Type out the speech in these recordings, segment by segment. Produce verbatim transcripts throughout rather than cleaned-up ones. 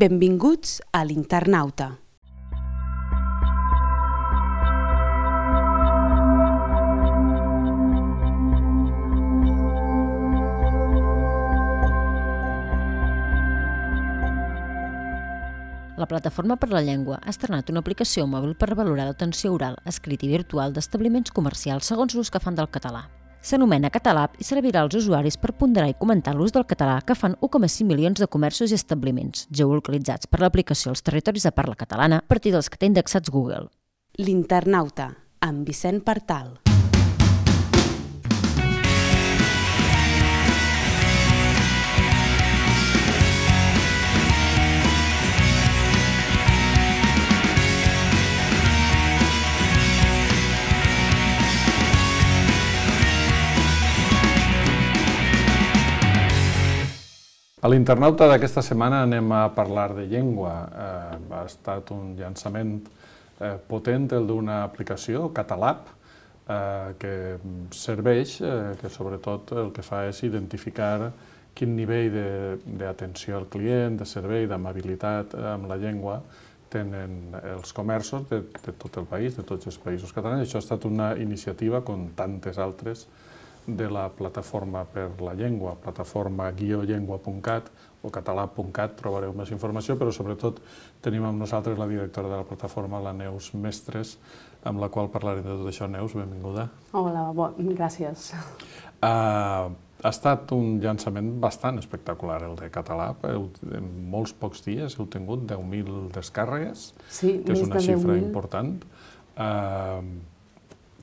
Benvinguts a l'Internauta. La Plataforma per la Llengua ha estrenat una aplicació mòbil per valorar l'atenció oral, escrit i virtual d'establiments comercials segons l'ús que fan del català. S'anomena Catalab i servirà als usuaris per ponderar i comentar l'ús del català que fan u coma cinc milions de comerços i establiments, geolocalitzats per l'aplicació als territoris de parla catalana a partir dels que té indexats Google. L'Internauta, amb Vicent Partal. A l'Internauta d'aquesta setmana anem a parlar de llengua. Eh, ha estat un llançament eh, potent, el d'una aplicació, Catalab, eh, que serveix, eh, que sobretot el que fa és identificar quin nivell d'atenció al client, de servei, d'amabilitat amb la llengua tenen els comerços de, de tot el país, de tots els països catalans. Això ha estat una iniciativa, com tantes altres, de la Plataforma per la Llengua, plataforma guió llengua punt cat o català punt cat, trobareu més informació, però sobretot tenim amb nosaltres la directora de la plataforma, la Neus Mestres, amb la qual parlarem de tot això. Neus, benvinguda. Hola, bon, gràcies. Uh, ha estat un llançament bastant espectacular, el de Catalab. En molts pocs dies heu tingut deu mil descàrregues, sí, que és una xifra important. Uh,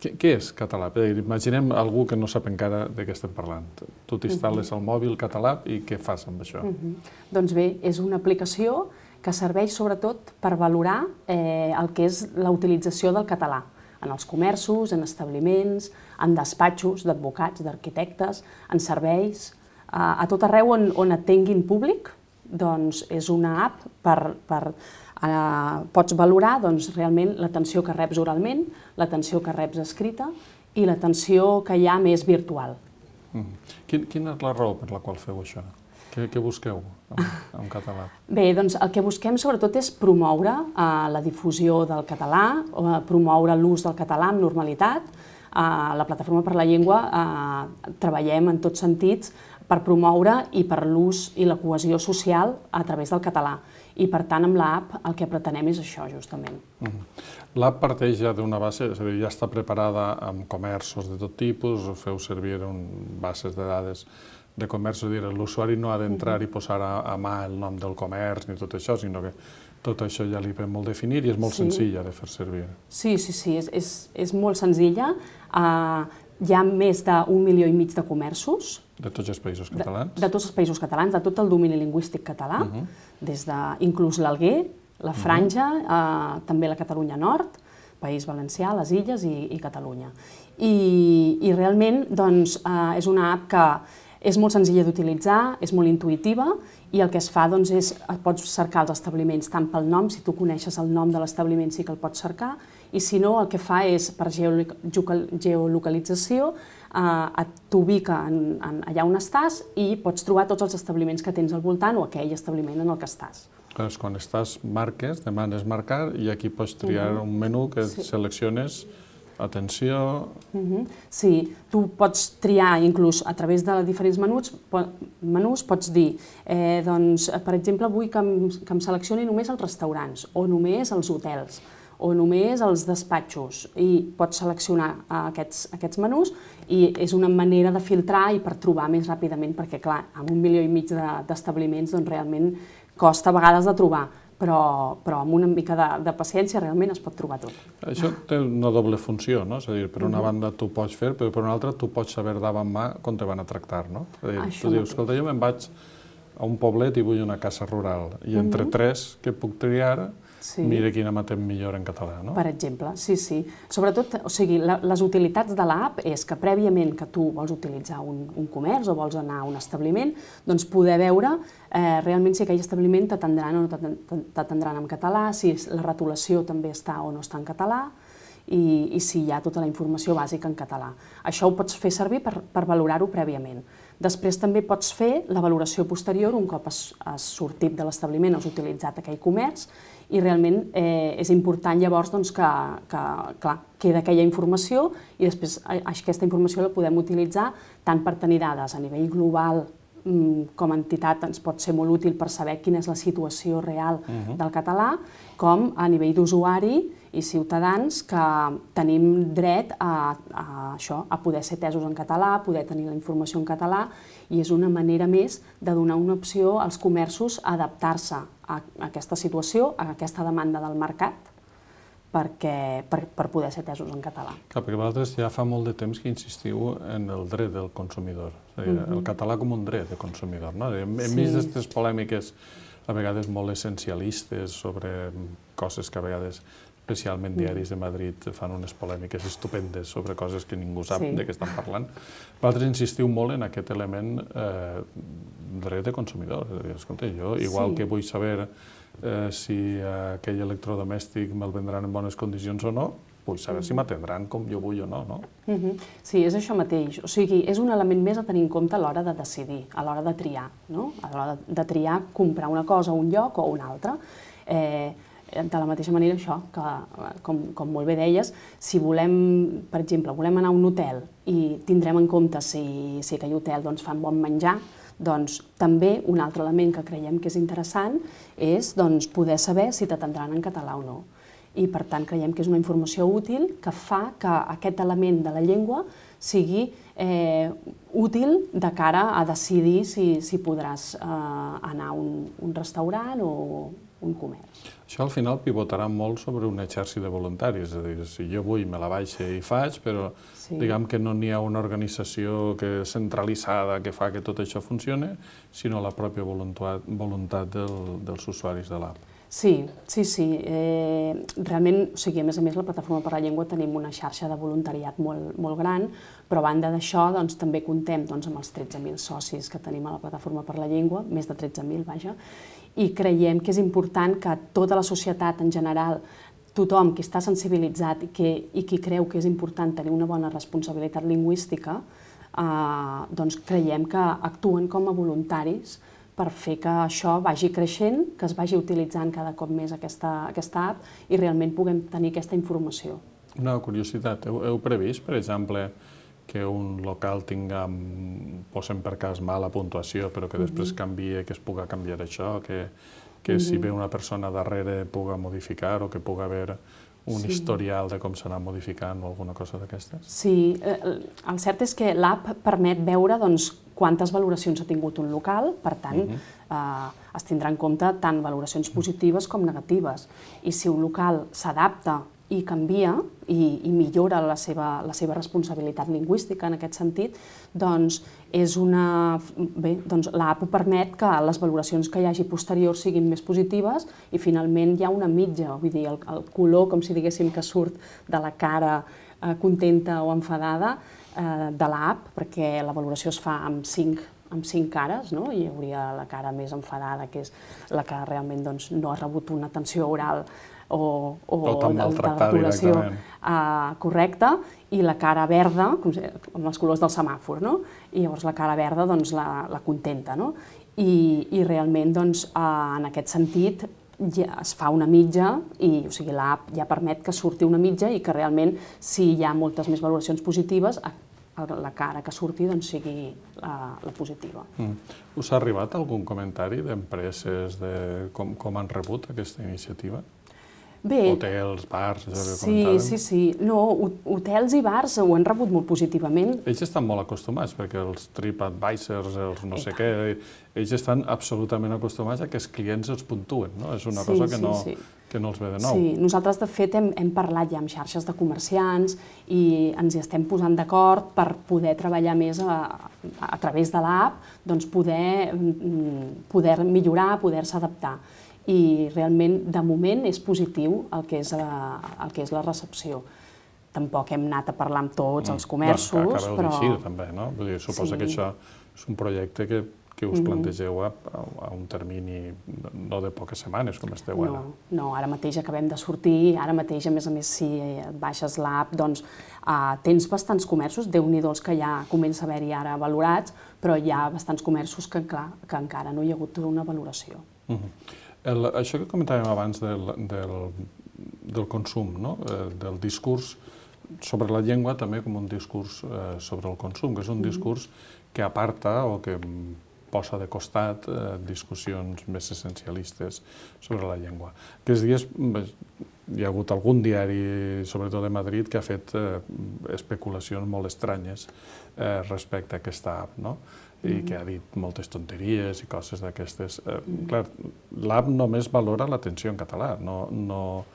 Què, què és Catalab? Imaginem algú que no sap encara de què estem parlant. Tu t'instal·les al mòbil Catalab i què fas amb això? Uh-huh. Doncs bé, és una aplicació que serveix sobretot per valorar eh, el que és la utilització del català en els comerços, en establiments, en despatxos d'advocats, d'arquitectes, en serveis, eh, a tot arreu on, on et tinguin públic, doncs és una app per... per Uh, pots valorar doncs, realment l'atenció que reps oralment, l'atenció que reps escrita i l'atenció que hi ha més virtual. Mm. Quin, quina és la raó per la qual feu això? Què, què busqueu en, en català? Bé, doncs el que busquem sobretot és promoure uh, la difusió del català, uh, promoure l'ús del català amb normalitat. Uh, la Plataforma per la Llengua uh, treballem en tots sentits per promoure i per l'ús i la cohesió social a través del català. I, per tant, amb l'app el que pretenem és això, justament. Mm. L'app parteix ja d'una base, és a dir, ja està preparada amb comerços de tot tipus, feu servir un, bases de dades de comerç, és a dir, l'usuari no ha d'entrar mm-hmm. i posar a, a mà el nom del comerç ni tot això, sinó que tot això ja li ve molt definir i és molt sí. senzilla de fer servir. Sí, sí, sí, és, és, és molt senzilla. Uh, hi ha més d'un milió i mig de comerços. De tots els països catalans? De, de tots els països catalans, de tot el domini lingüístic català, uh-huh. des de inclús l'Alguer, la Franja, uh-huh. eh, també la Catalunya Nord, País Valencià, les Illes i, i Catalunya. I, i realment doncs, eh, és una app que és molt senzilla d'utilitzar, és molt intuïtiva i el que es fa doncs, és pots cercar els establiments tant pel nom, si tu coneixes el nom de l'establiment sí que el pots cercar, i si no el que fa és per geolocalització eh, t'ubica en, en allà on estàs i pots trobar tots els establiments que tens al voltant o aquell establiment en el que estàs. Doncs quan estàs marques, demanes marcar i aquí pots triar uh-huh. un menú que sí. selecciones atenció... Uh-huh. Sí, tu pots triar inclús a través de diferents menús, menús pots dir, eh, doncs, per exemple, vull que em, que em seleccioni només els restaurants o només els hotels o només els despatxos i pots seleccionar aquests, aquests menús i és una manera de filtrar i per trobar més ràpidament perquè, clar, amb un milió i mig d'establiments doncs realment costa a vegades de trobar, però, però amb una mica de, de paciència realment es pot trobar tot. Això té una doble funció, no? És a dir, per una banda tu pots fer, però per una altra tu pots saber davant mà com te van a tractar, no? És a dir, tu dius, escolta, jo me'n vaig a un poblet i vull una casa rural i entre tres que puc triar sí. mira quina matem millor en català, no? Per exemple, sí, sí. Sobretot, o sigui, la, les utilitats de l'app és que prèviament que tu vols utilitzar un, un comerç o vols anar a un establiment, doncs poder veure eh, realment si aquell establiment t'atendran o no t'atendran en català, si la retolació també està o no està en català, i, i si hi ha tota la informació bàsica en català. Això ho pots fer servir per, per valorar-ho prèviament. Després també pots fer la valoració posterior un cop has, has sortit de l'establiment, has utilitzat aquell comerç, i realment eh, és important llavors doncs, que, que clar, queda aquella informació i després aquesta informació la podem utilitzar tant per tenir dades a nivell global, com a entitat ens pot ser molt útil per saber quina és la situació real uh-huh. del català, com a nivell d'usuari i ciutadans que tenim dret a, a, això, a poder ser atesos en català, a poder tenir la informació en català, i és una manera més de donar una opció als comerços a adaptar-se a aquesta situació, a aquesta demanda del mercat, perquè, per, per poder ser atesos en català. Clar, perquè vosaltres ja fa molt de temps que insistiu en el dret del consumidor, és a dir, uh-huh. el català com un dret de consumidor, no? Hem, hem sí. vist aquestes polèmiques a vegades molt essencialistes sobre coses que a vegades, especialment diaris de Madrid, fan unes polèmiques estupendes sobre coses que ningú sap sí. de què estan parlant. Vosaltres insistiu molt en aquest element eh, dret de consumidor, és a dir, escolta, jo, igual sí. que vull saber Eh, si eh, aquell electrodomèstic me'l vendran en bones condicions o no, vull saber si m'atendran com jo vull o no, no? Uh-huh. Sí, és això mateix. O sigui, és un element més a tenir en compte a l'hora de decidir, a l'hora de triar, no? A l'hora de, de triar comprar una cosa a un lloc o a un altre. Eh, de la mateixa manera, això, que, com, com molt bé deies, si volem, per exemple, volem anar a un hotel i tindrem en compte si, si aquell hotel doncs, fa un bon menjar, doncs també un altre element que creiem que és interessant és doncs, poder saber si t'atendran en català o no. I per tant creiem que és una informació útil que fa que aquest element de la llengua sigui eh, útil de cara a decidir si, si podràs eh, anar a un, un restaurant o un comerç. Això al final pivotarà molt sobre un exèrcit de voluntaris, és a dir, si jo vull me la baixe i faig, però sí. diguem que no n'hi ha una organització que centralitzada que fa que tot això funcione, sinó la pròpia voluntat, voluntat del, dels usuaris de l'app. Sí, sí, sí. Eh, realment, o sigui, a més a més, la Plataforma per la Llengua tenim una xarxa de voluntariat molt, molt gran, però a banda d'això doncs, també comptem doncs, amb els tretze mil socis que tenim a la Plataforma per la Llengua, més de tretze mil, vaja, i creiem que és important que tota la societat en general, tothom qui està sensibilitzat i, que, i qui creu que és important tenir una bona responsabilitat lingüística, eh, doncs creiem que actuen com a voluntaris per fer que això vagi creixent, que es vagi utilitzant cada cop més aquesta, aquesta app i realment puguem tenir aquesta informació. Una curiositat, heu, heu previst, per exemple, que un local tinga, posem per cas, mala puntuació, però que després canvie, que es puga canviar això, que, que si ve una persona darrere puga modificar o que puga haver un sí. historial de com s'anà modificant o alguna cosa d'aquestes? Sí, el cert és que l'app permet veure doncs, quantes valoracions ha tingut un local, per tant, uh-huh. eh, es tindrà en compte tant valoracions positives com negatives. I si un local s'adapta i canvia i, i millora la seva, la seva responsabilitat lingüística en aquest sentit, doncs, és una, bé, doncs l'app permet que les valoracions que hi hagi posteriors siguin més positives i finalment hi ha una mitja, vull dir, el, el color, com si diguéssim que surt de la cara eh, contenta o enfadada eh, de l'app, perquè la valoració es fa amb cinc amb cinc cares, no? Hi hauria la cara més enfadada, que és la que realment doncs, no ha rebut una atenció oral o, o de, de lectoració uh, correcta, i la cara verda, com, amb els colors del semàfor, no? I llavors la cara verda doncs, la, la contenta, no? I, i realment doncs, uh, en aquest sentit ja es fa una mitja i o sigui, l'app ja permet que surti una mitja i que realment si hi ha moltes més valoracions positives la cara que surti doncs, sigui la, la positiva. Mm. Us ha arribat algun comentari d'empreses de com, com han rebut aquesta iniciativa? Bé, hotels, bars, allò que sí, comentàvem? Sí, sí, sí. No, hotels i bars ho han rebut molt positivament. Ells estan molt acostumats, perquè els TripAdvisors, els no sé què, ells estan absolutament acostumats a que els clients els puntuen, no? És una sí, cosa que, sí, no, sí. que no els ve de nou. Sí, nosaltres de fet hem, hem parlat ja amb xarxes de comerciants i ens hi estem posant d'acord per poder treballar més a, a través de l'app, doncs poder, poder millorar, poder-se adaptar. I realment, de moment, és positiu el que és la, el que és la recepció. Tampoc hem anat a parlar amb tots els comerços, bueno, que acabeu però... d'eixir, també, no? Vull dir, suposa sí. que això és un projecte que, que us plantegeu a, a un termini no de poques setmanes, com esteu ara. No, no, ara mateix acabem de sortir, ara mateix, a més a més, si et baixes l'app, doncs uh, tens bastants comerços, Déu-n'hi-do els que ja comença a haver-hi ara valorats, però hi ha bastants comerços que, clar, que encara no hi ha hagut una valoració. Uh -huh. El, això que comentàvem abans del, del, del consum, no? eh, del discurs sobre la llengua també com un discurs eh, sobre el consum, que és un discurs que aparta o que posa de costat eh, discussions més essencialistes sobre la llengua. Aquests dies hi ha hagut algun diari, sobretot de Madrid, que ha fet eh, especulacions molt estranyes eh, respecte a aquesta app, no? I que ha dit moltes tonteries i coses d'aquestes. Eh, clar, l'app només valora l'atenció en català, no, no,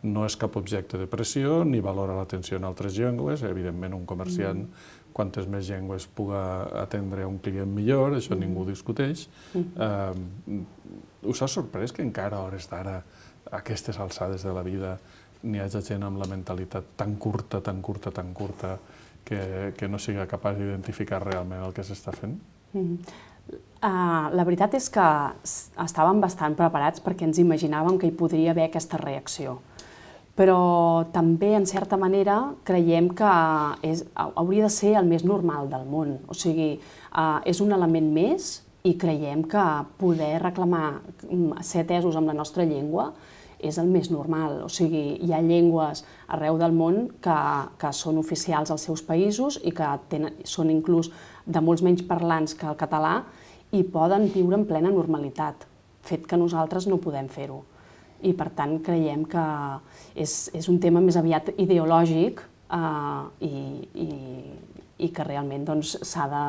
no és cap objecte de pressió, ni valora l'atenció en altres llengües. Evidentment, un comerciant, quantes més llengües puga atendre un client millor, això ningú discuteix. Eh, us ha sorprès que encara a hores d'ara, a aquestes alçades de la vida, n'hi hagi gent amb la mentalitat tan curta, tan curta, tan curta, que, que no siga capaç d'identificar realment el que s'està fent? Mm. Uh, la veritat és que estàvem bastant preparats perquè ens imaginàvem que hi podria haver aquesta reacció. Però també, en certa manera, creiem que és, hauria de ser el més normal del món. O sigui, uh, és un element més i creiem que poder reclamar ser atesos amb la nostra llengua és el més normal. O sigui, hi ha llengües arreu del món que, que són oficials als seus països i que tenen, són inclús de molts menys parlants que el català i poden viure en plena normalitat, fet que nosaltres no podem fer-ho. I, per tant, creiem que és, és un tema més aviat ideològic eh, i, i, i que realment doncs, s'ha de,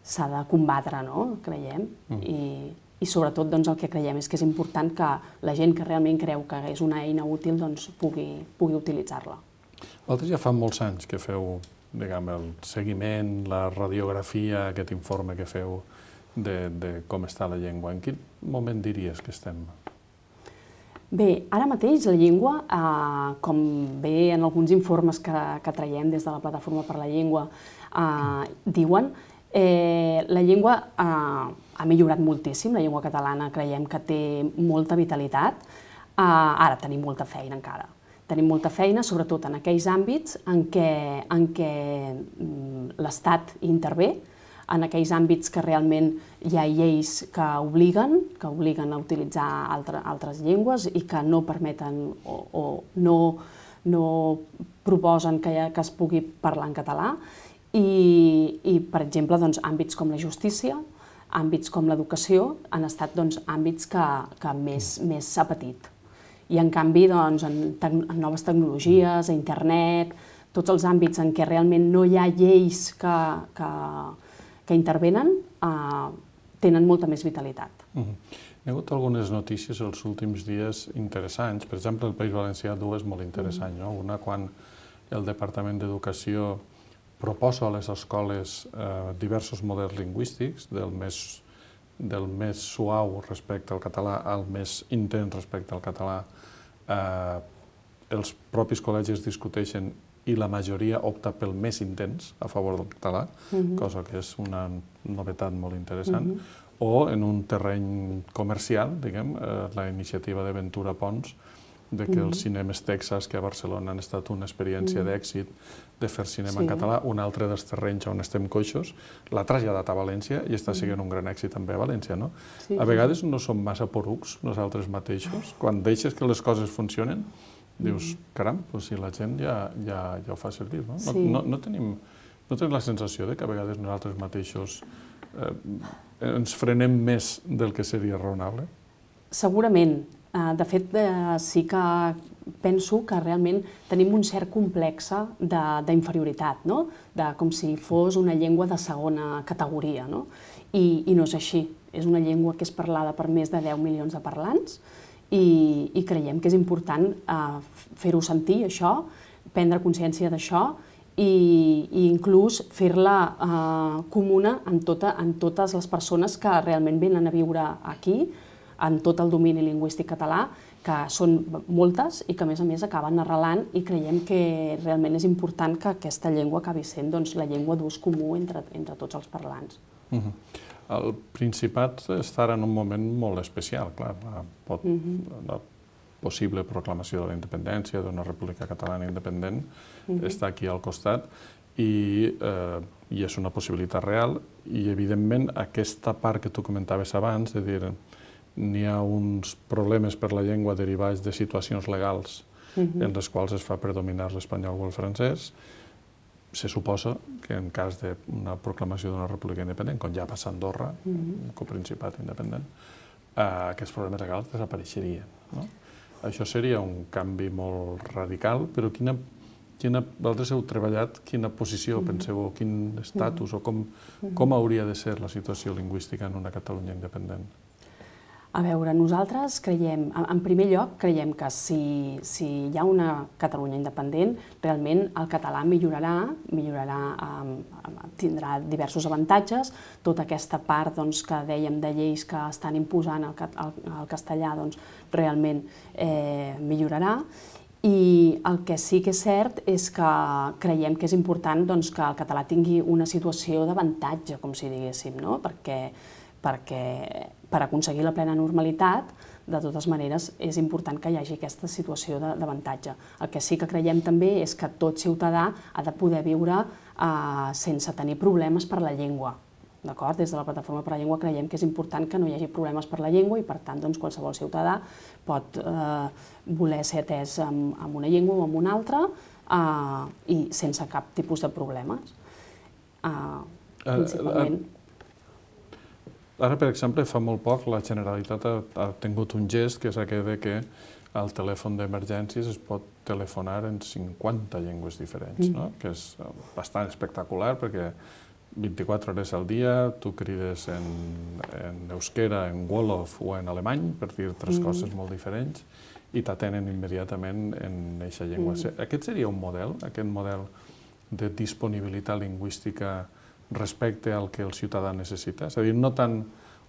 s'ha de combatre, no? Creiem. Mm. I, i sobretot doncs, el que creiem és que és important que la gent que realment creu que és una eina útil doncs, pugui, pugui utilitzar-la. Vosaltres ja fa molts anys que feu diguem, el seguiment, la radiografia, aquest informe que feu de, de com està la llengua. En quin moment diries que estem? Bé, ara mateix la llengua, eh, com bé en alguns informes que, que traiem des de la Plataforma per la Llengua, eh, diuen, eh, la llengua eh, ha millorat moltíssim, la llengua catalana creiem que té molta vitalitat, eh, ara tenim molta feina encara. Tenim molta feina, sobretot en aquells àmbits en què, en què l'Estat intervé, en aquells àmbits que realment hi ha lleis que obliguen, que obliguen a utilitzar altre, altres llengües i que no permeten o, o no, no proposen que, ha, que es pugui parlar en català. I, i per exemple, doncs, àmbits com la justícia, àmbits com l'educació, han estat doncs, àmbits que, que més, més s'ha patit. I en canvi, doncs, en, en noves tecnologies, a internet, tots els àmbits en què realment no hi ha lleis que, que, que intervenen, eh, tenen molta més vitalitat. Uh-huh. Hi ha hagut algunes notícies els últims dies interessants. Per exemple, el País Valencià, dues molt interessants. No? Una, quan el Departament d'Educació proposa a les escoles eh, diversos models lingüístics, del més, del més suau respecte al català al més intens respecte al català. Eh, els propis col·legis discuteixen i la majoria opta pel més intens a favor del català, uh-huh. cosa que és una novetat molt interessant. Uh-huh. O en un terreny comercial, diguem, eh, la iniciativa de Ventura Pons, de que uh-huh. els cinemes Texas, que a Barcelona han estat una experiència uh-huh. d'èxit de fer cinema sí. en català, un altre dels terrenys on estem coixos, l'ha traslladat a València i està sent un gran èxit també a València, no? Sí, a vegades no som massa porucs nosaltres mateixos. Quan deixes que les coses funcionen, dius, caram, doncs si la gent ja, ja, ja ho fa servir, no? Sí. No, no, no, tenim, no tenim la sensació de que a vegades nosaltres mateixos eh, ens frenem més del que seria raonable? Segurament. De fet, sí que penso que realment tenim un cert complex d'inferioritat, no? De, com si fos una llengua de segona categoria, no? I, i no és així. És una llengua que és parlada per més de deu milions de parlants i, i creiem que és important eh, fer-ho sentir, això, prendre consciència d'això i, i inclús fer-la eh, comuna en, tota, en totes les persones que realment venen a viure aquí, en tot el domini lingüístic català, que són moltes i que, a més a més, acaben arrelant i creiem que realment és important que aquesta llengua acabi sent doncs, la llengua d'ús comú entre, entre tots els parlants. Uh-huh. El Principat està ara en un moment molt especial, clar, la, pot, la possible proclamació de la independència d'una república catalana independent està aquí al costat i, eh, i és una possibilitat real i, evidentment, aquesta part que tu comentaves abans, de dir, n'hi ha uns problemes per la llengua derivats de situacions legals en les quals es fa predominar l'espanyol o el francès, se suposa que en cas d'una proclamació d'una república independent, com ja passa a Andorra, un coprincipat independent, aquests problemes legals desapareixerien. Això seria un canvi molt radical, però quina, quina, vosaltres heu treballat, quina posició penseu, o quin estatus, o com, com hauria de ser la situació lingüística en una Catalunya independent? A veure, nosaltres creiem, en primer lloc, creiem que si, si hi ha una Catalunya independent, realment el català millorarà, millorarà, eh, tindrà diversos avantatges. Tota aquesta part doncs, que dèiem de lleis que estan imposant el, el, el castellà doncs, realment eh, millorarà. I el que sí que és cert és que creiem que és important doncs, que el català tingui una situació d'avantatge, com si diguéssim, no? perquè, perquè per aconseguir la plena normalitat, de totes maneres, és important que hi hagi aquesta situació d'avantatge. El que sí que creiem també és que tot ciutadà ha de poder viure eh, sense tenir problemes per la llengua. Des de la Plataforma per la Llengua creiem que és important que no hi hagi problemes per la llengua i, per tant, doncs, qualsevol ciutadà pot eh, voler ser atès amb, amb una llengua o amb una altra eh, i sense cap tipus de problemes. Eh, principalment... Ara, per exemple, fa molt poc la Generalitat ha, ha tingut un gest que és aquell de que al telèfon d'emergències es pot telefonar en cinquanta llengües diferents, no? Que és bastant espectacular perquè vint-i-quatre hores al dia tu crides en, en euskera, en wolof o en alemany, per dir tres mm. coses molt diferents, i t'atenen immediatament en aquesta llengua. Mm. Aquest seria un model, aquest model de disponibilitat lingüística respecte al que el ciutadà necessita? És a dir, no tant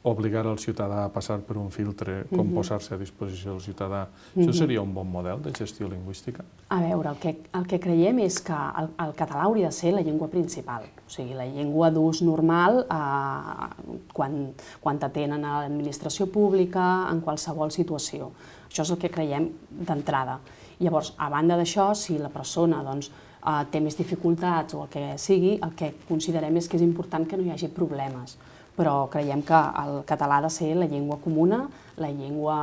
obligar el ciutadà a passar per un filtre com uh-huh. posar-se a disposició del ciutadà. Uh-huh. Això seria un bon model de gestió lingüística? A veure, el que, el que creiem és que el, el català hauria de ser la llengua principal, o sigui, la llengua d'ús normal eh, quan, quan t'atenen a l'administració pública, en qualsevol situació. Això és el que creiem d'entrada. Llavors, a banda d'això, si la persona doncs, Uh, té més dificultats o el que sigui, el que considerem és que és important que no hi hagi problemes. Però creiem que el català ha de ser la llengua comuna, la llengua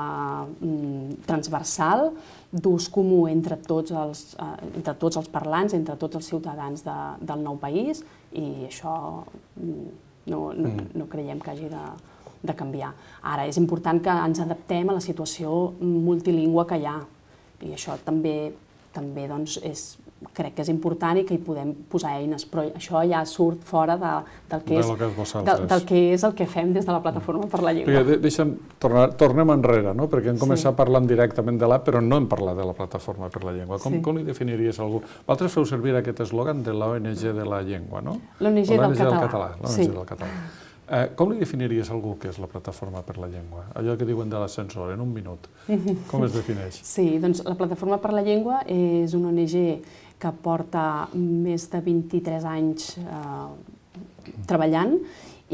mm, transversal, d'ús comú entre tots, els, uh, entre tots els parlants, entre tots els ciutadans de, del nou país, i això mm, no, no, no creiem que hagi de, de canviar. Ara, és important que ens adaptem a la situació multilingüe que hi ha, i això també, també doncs, és crec que és important i que hi podem posar eines, però això ja surt fora de, del, que és, de que és del, del que és el que fem des de la Plataforma per la Llengua. Perquè, deixa'm, tornar, tornem enrere, no? Perquè hem començat sí. parlant directament de l'app, però no hem parlat de la Plataforma per la Llengua. Com, sí. com li definiries algú? Vosaltres feu servir aquest eslògan de l'O N G de la llengua, no? L'O N G del català. Del català. L'O N G sí. del català. Eh, com li definiries algú que és la Plataforma per la Llengua? Allò que diuen de l'ascensor, en un minut. Com es defineix? Sí, doncs la Plataforma per la Llengua és una O N G que porta més de vint-i-tres anys eh, treballant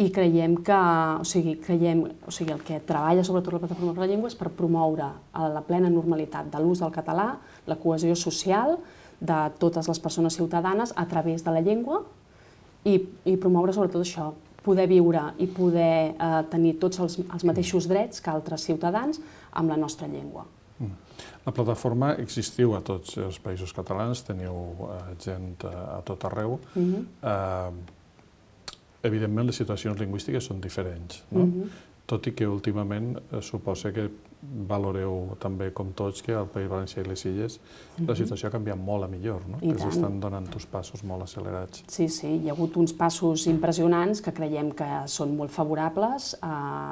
i creiem que, o sigui, creiem, o sigui, el que treballa sobretot la Plataforma per la Llengua és per promoure la plena normalitat de l'ús del català, la cohesió social de totes les persones ciutadanes a través de la llengua i, i promoure sobretot això, poder viure i poder eh, tenir tots els, els mateixos drets que altres ciutadans amb la nostra llengua. La plataforma existiu a tots els països catalans, teniu eh, gent a tot arreu. Uh-huh. eh, evidentment, les situacions lingüístiques són diferents, no? Uh-huh. Tot i que últimament eh, suposa que valoreu també, com tots, que al País Valencià i les Illes uh-huh. la situació ha canviat molt a millor, no? I que s'estan donant uns passos molt accelerats. Sí, sí, hi ha hagut uns passos impressionants que creiem que són molt favorables.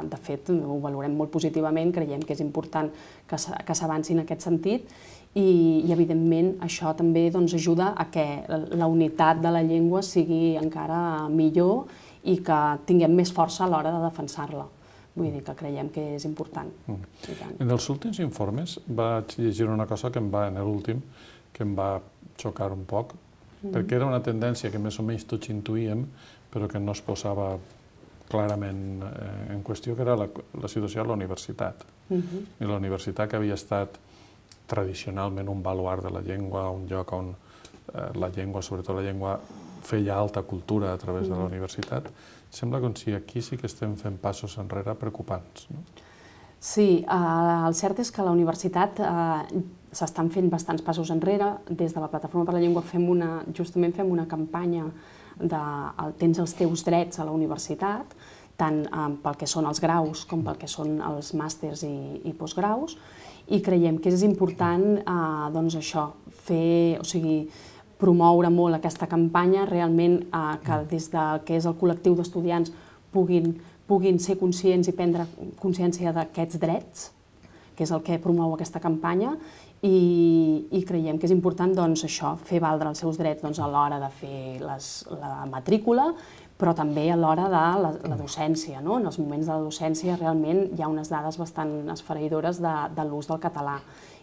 De fet, ho valorem molt positivament, creiem que és important que s'avanci en aquest sentit i, i evidentment, això també doncs, ajuda a que la unitat de la llengua sigui encara millor i que tinguem més força a l'hora de defensar-la. Vull dir que creiem que és important. Mm. En els últims informes vaig llegir una cosa que em va, en l'últim, que em va xocar un poc, mm. perquè era una tendència que més o menys tots intuïem, però que no es posava clarament en qüestió, que era la, la situació a la universitat. Uh-huh. I la universitat, que havia estat tradicionalment un baluard de la llengua, un lloc on eh, la llengua, sobretot la llengua, feia alta cultura a través uh-huh. de la universitat, sembla com si aquí sí que estem fent passos enrere preocupants. No? Sí, eh, el cert és que a la universitat eh, s'estan fent bastants passos enrere. Des de la Plataforma per la Llengua fem una, justament fem una campanya de el, tens els teus drets a la universitat, tant eh, pel que són els graus com pel que són els màsters i, i postgraus, i creiem que és important eh, doncs això, fer, o sigui, promoure molt aquesta campanya, realment eh, que des del que és el col·lectiu d'estudiants puguin, puguin ser conscients i prendre consciència d'aquests drets, que és el que promou aquesta campanya, i, i creiem que és important doncs, això, fer valdre els seus drets doncs, a l'hora de fer les, la matrícula, però també a l'hora de la, la docència. No? En els moments de la docència realment hi ha unes dades bastant esfereïdores de, de l'ús del català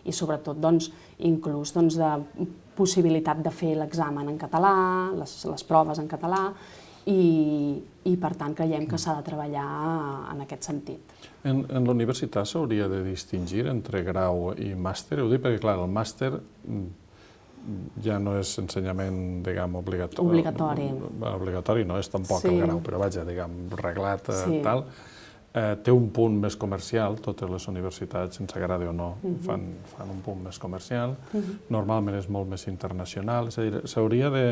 i sobretot doncs, inclús doncs, de possibilitat de fer l'examen en català, les, les proves en català, i, i per tant creiem que s'ha de treballar en aquest sentit. En, en la universitat s'hauria de distingir entre grau i màster? Ho dic perquè, clar, el màster ja no és ensenyament, diguem, obligatori. Obligatori. Obligatori no és tampoc sí. el grau, però vaja, diguem, reglat, sí. tal. Eh, té un punt més comercial, totes les universitats, sense agradi o no, uh-huh. fan, fan un punt més comercial. Uh-huh. Normalment és molt més internacional, és a dir, s'hauria de...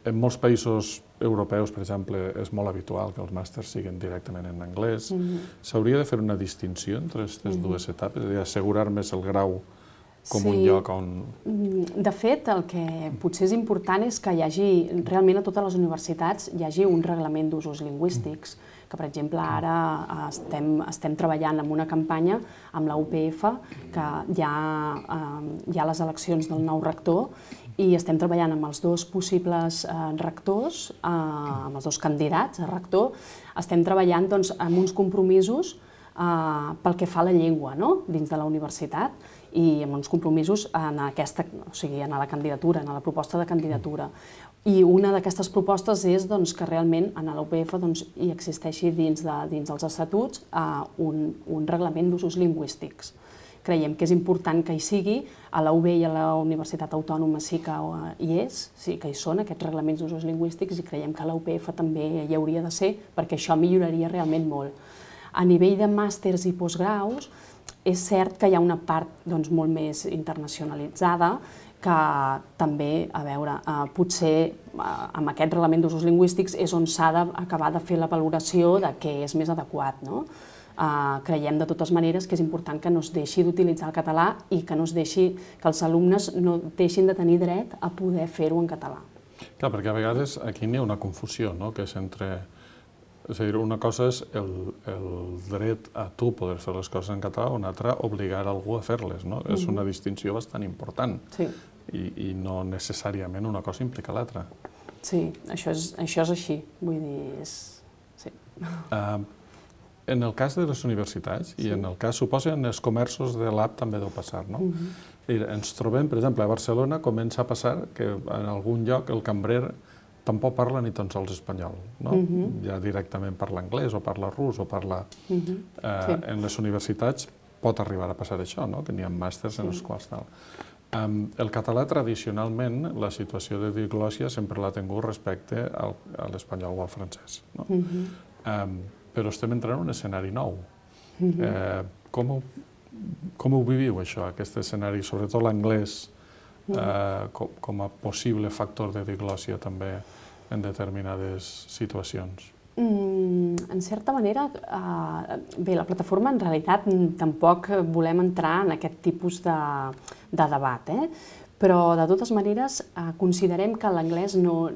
En molts països europeus, per exemple, és molt habitual que els màsters siguin directament en anglès. Mm-hmm. S'hauria de fer una distinció entre aquestes mm-hmm. dues etapes, és a dir, assegurar més el grau com sí. un lloc on... De fet, el que potser és important és que hi hagi, realment a totes les universitats, hi hagi un reglament d'usos lingüístics, que per exemple ara estem, estem treballant en una campanya amb la U P F, que hi ha, eh, hi ha les eleccions del nou rector, i estem treballant amb els dos possibles eh, rectors, eh, amb els dos candidats a rector, estem treballant doncs, amb uns compromisos eh, pel que fa a la llengua, no? Dins de la universitat, i amb uns compromisos en, aquesta, o sigui, en la candidatura, en la proposta de candidatura. I una d'aquestes propostes és doncs, que realment en l'U P F doncs, hi existeixi dins, de, dins dels estatuts eh, un, un reglament d'usos lingüístics. Creiem que és important que hi sigui, a la U B i a la Universitat Autònoma sí que hi és, sí que hi són aquests reglaments d'usos lingüístics, i creiem que a la U P F també hi hauria de ser, perquè això milloraria realment molt. A nivell de màsters i postgraus, és cert que hi ha una part doncs, molt més internacionalitzada, que també, a veure, eh, potser eh, amb aquest reglament d'usos lingüístics és on s'ha d'acabar de fer la valoració de què és més adequat, no? Uh, creiem de totes maneres que és important que no es deixi d'utilitzar el català i que no es deixi, que els alumnes no deixin de tenir dret a poder fer-ho en català. Clar, perquè a vegades aquí n'hi ha una confusió, no?, que és entre... És a dir, una cosa és el, el dret a tu poder fer les coses en català, una altra obligar algú a fer-les, no? Mm-hmm. És una distinció bastant important. Sí. I, i no necessàriament una cosa implica l'altra. Sí, això és, això és així, vull dir, és... Sí. Uh, En el cas de les universitats, sí. I en el cas, suposo, en els comerços de l'app també deu passar, no? Uh-huh. Ens trobem, per exemple, a Barcelona comença a passar que en algun lloc el cambrer tampoc parla ni tan sols espanyol, no? Uh-huh. Ja directament parla anglès o parla rus o parla... Uh-huh. eh, sí. En les universitats pot arribar a passar això, no? Que n'hi ha màsters sí. En els quals tal. Um, el català, tradicionalment, la situació de diglòssia sempre l'ha tingut respecte al, a l'espanyol o al francès, no? Uh-huh. um, però estem entrant en un escenari nou. Uh-huh. eh, com, ho, com ho viviu, això, aquest escenari, sobretot l'anglès, uh-huh. eh, com, com a possible factor de diglòssia també en determinades situacions? Mm, en certa manera, eh, bé, la plataforma en realitat tampoc volem entrar en aquest tipus de, de debat, eh? Però de totes maneres eh, considerem que l'anglès no,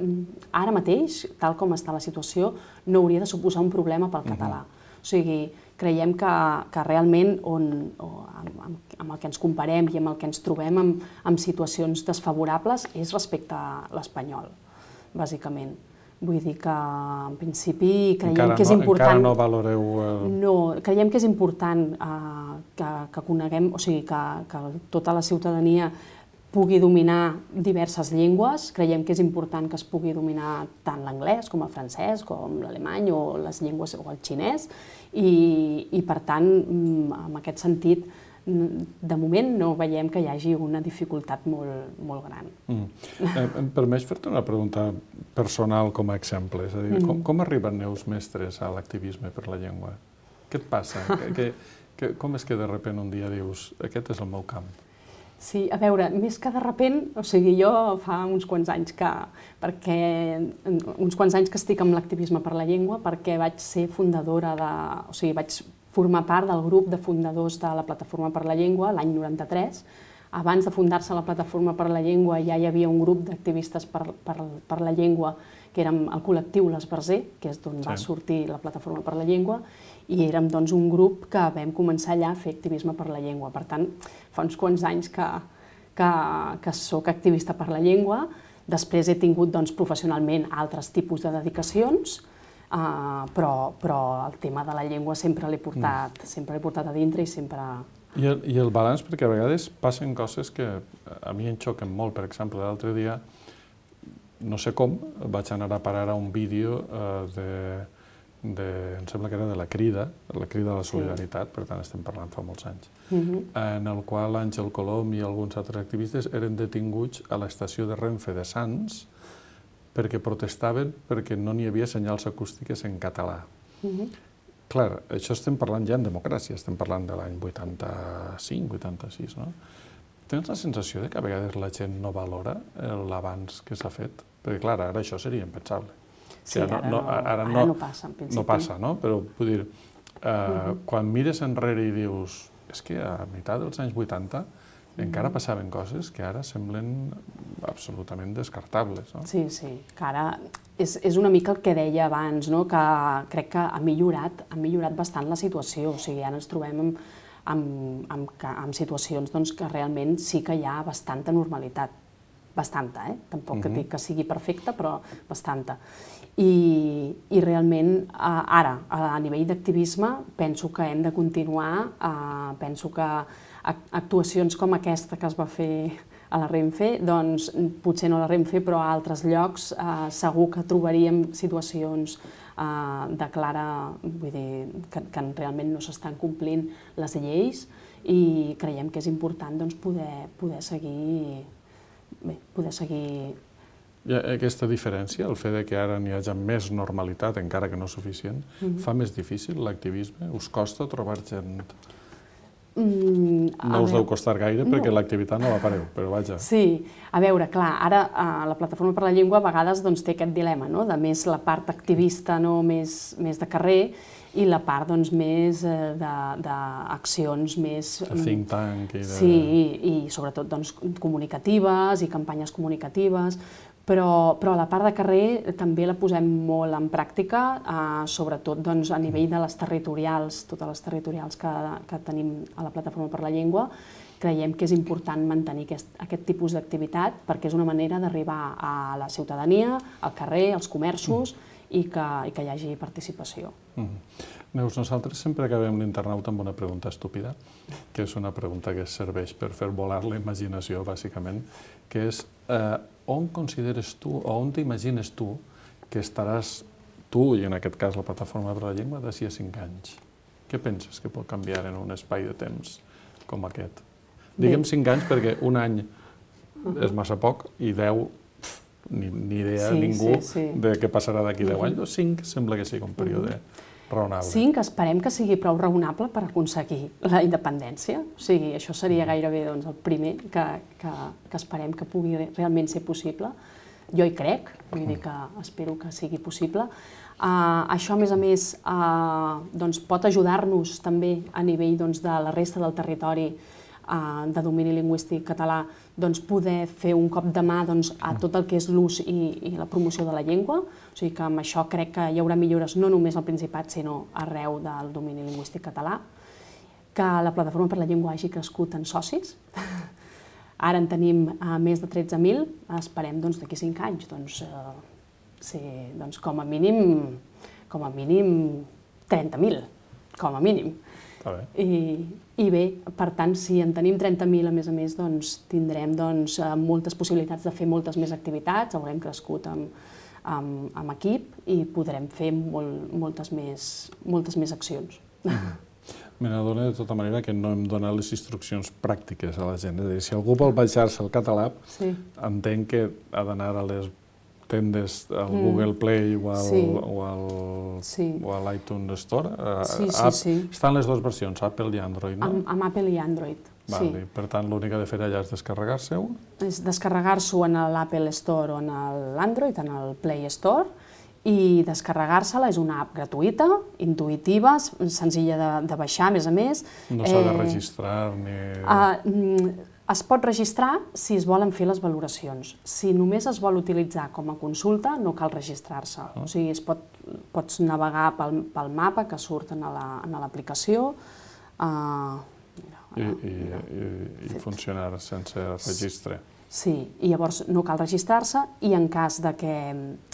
ara mateix, tal com està la situació, no hauria de suposar un problema pel català. Uh-huh. O sigui, creiem que, que realment on, o amb, amb, amb el que ens comparem i amb el que ens trobem amb, amb situacions desfavorables és respecte a l'espanyol, bàsicament. Vull dir que, en principi, creiem encara que és no, important... Encara no valoreu... El... No, creiem que és important eh, que, que coneguem, o sigui, que, que tota la ciutadania pugui dominar diverses llengües. Creiem que és important que es pugui dominar tant l'anglès com el francès, com l'alemany o les llengües o el xinès, i, i per tant, en aquest sentit, de moment no veiem que hi hagi una dificultat molt, molt gran. Mm. Eh, em permets fer-te una pregunta personal com a exemple? És a dir, mm. com, com arriben neus mestres a l'activisme per la llengua? Què et passa? que, que, que, com és que de sobte un dia dius aquest és el meu camp? Sí, a veure, més que de sobte, o sigui, jo fa uns quants anys que, perquè, uns quants anys que estic amb l'activisme per la llengua, perquè vaig ser fundadora de, o sigui, vaig formar part del grup de fundadors de la Plataforma per la Llengua l'any noranta-tres. Abans de fundar-se la Plataforma per la Llengua ja hi havia un grup d'activistes per, per, per la llengua, que érem el col·lectiu l'Esbarzer, que és d'on sí. va sortir la Plataforma per la Llengua, i érem doncs, un grup que vam començar allà a fer activisme per la llengua. Per tant, fa uns quants anys que, que, que soc activista per la llengua. Després he tingut doncs, professionalment altres tipus de dedicacions, Uh, però, però el tema de la llengua sempre l'he portat, mm. sempre l'he portat a dintre i sempre... I el, I el balanç, perquè a vegades passen coses que a mi em xoquen molt. Per exemple, l'altre dia, no sé com, vaig anar a parar a un vídeo uh, de, de, em sembla que era de la Crida, la Crida de la Solidaritat, sí. Per tant estem parlant fa molts anys, mm-hmm. en el qual Àngel Colom i alguns altres activistes eren detinguts a l'estació de Renfe de Sants perquè protestaven perquè no n'hi havia senyals acústiques en català. Uh-huh. Clar, això estem parlant ja en democràcia, estem parlant de l'any vuitanta-cinc, vuitanta-sis, no? Tens la sensació de que a vegades la gent no valora l'avanç que s'ha fet? Perquè, clar, ara això seria impensable. Sí, ara no, ara no, no passa, en principi. No passa, no? Però, vull dir, eh, uh-huh. quan mires enrere i dius és que a meitat dels anys vuitanta encara passaven coses que ara semblen absolutament descartables, no? Sí, sí, que ara és, és una mica el que deia abans, no? Que crec que ha millorat, ha millorat bastant la situació, o sigui, ara ens trobem amb, amb, amb, amb situacions doncs, que realment sí que hi ha bastanta normalitat, bastanta, eh? Tampoc uh-huh. que dic que sigui perfecta, però bastanta. I, i realment ara, a nivell d'activisme, penso que hem de continuar, eh, penso que actuacions com aquesta que es va fer a la Renfe, doncs potser no a la Renfe, però a altres llocs eh, segur que trobaríem situacions eh, de clara, vull dir, que, que realment no s'estan complint les lleis i creiem que és important doncs, poder, poder seguir, bé, poder seguir... I aquesta diferència, el fet que ara n'hi hagi més normalitat, encara que no suficient, mm-hmm. fa més difícil l'activisme? Us costa trobar gent... Mm, no us deu costar gaire perquè no. L'activitat no la pareu, però vaja. Sí, a veure, clar, ara eh, la Plataforma per la Llengua a vegades doncs, té aquest dilema, no? De més la part activista no? més, més de carrer i la part doncs, més eh, d'accions més... De think tank i de... Sí, i, i sobretot doncs, comunicatives i campanyes comunicatives, però, però la part de carrer també la posem molt en pràctica, eh, sobretot doncs, a nivell de les territorials, totes les territorials que, que tenim a la Plataforma per la Llengua. Creiem que és important mantenir aquest, aquest tipus d'activitat perquè és una manera d'arribar a la ciutadania, al carrer, als comerços, mm. i, que, i que hi hagi participació. Mm. Neus, nosaltres sempre acabem l'internauta amb una pregunta estúpida, que és una pregunta que serveix per fer volar la imaginació, bàsicament, que és eh, on consideres tu, o on t'imagines tu, que estaràs tu, i en aquest cas la Plataforma per la Llengua, d'ací a cinc anys? Què penses que pot canviar en un espai de temps com aquest? Diguem cinc anys perquè un any és massa poc i deu, ni, ni idea sí, ningú sí, sí. de què passarà d'aquí deu anys, o cinc sembla que sigui un període raonable. Cinc, esperem que sigui prou raonable per aconseguir la independència. O sigui, això seria gairebé doncs, el primer que, que, que esperem que pugui realment ser possible. Jo hi crec, vull dir que espero que sigui possible. Uh, això, a més a més, uh, doncs, pot ajudar-nos també a nivell doncs, de la resta del territori uh, de domini lingüístic català, doncs, poder fer un cop de mà doncs, a tot el que és l'ús i, i la promoció de la llengua. O sigui que amb això crec que hi haurà millores no només al Principat, sinó arreu del domini lingüístic català. Que la Plataforma per la Llengua hagi crescut en socis. Ara en tenim uh, més de tretze mil, esperem doncs, d'aquí cinc anys doncs, uh, ser doncs, com a mínim, com a mínim trenta mil, com a mínim. Està bé. I, I bé, per tant, si en tenim trenta mil, a més a més, doncs tindrem doncs, moltes possibilitats de fer moltes més activitats, haurem crescut amb, amb, amb equip i podrem fer molt, moltes, més, moltes més accions. Me n'adona de tota manera que no hem donat les instruccions pràctiques a la gent. És a dir, si algú vol baixar-se el Catalab, Sí. entenc que ha d'anar a les tendes al Google Play o al, Sí. o al, Sí. o a l'iTunes Store. Sí, sí, App, sí. Estan les dues versions, Apple i Android, no? Amb, amb Apple i Android, Val, sí. i per tant, l'únic que ha de fer allà és descarregar-se-ho. És descarregar-s'ho en l'Apple Store o en l'Android, en el Play Store, i descarregar-se-la és una app gratuïta, intuïtiva, senzilla de, de baixar, a més a més. No s'ha de registrar ni... Uh, es pot registrar si es volen fer les valoracions. Si només es vol utilitzar com a consulta, no cal registrar-se. O sigui, es pot, pots navegar pel, pel mapa que surt en l'aplicació, uh, I, i, i, i funcionar sense registre. Sí, i llavors no cal registrar-se i en cas de que,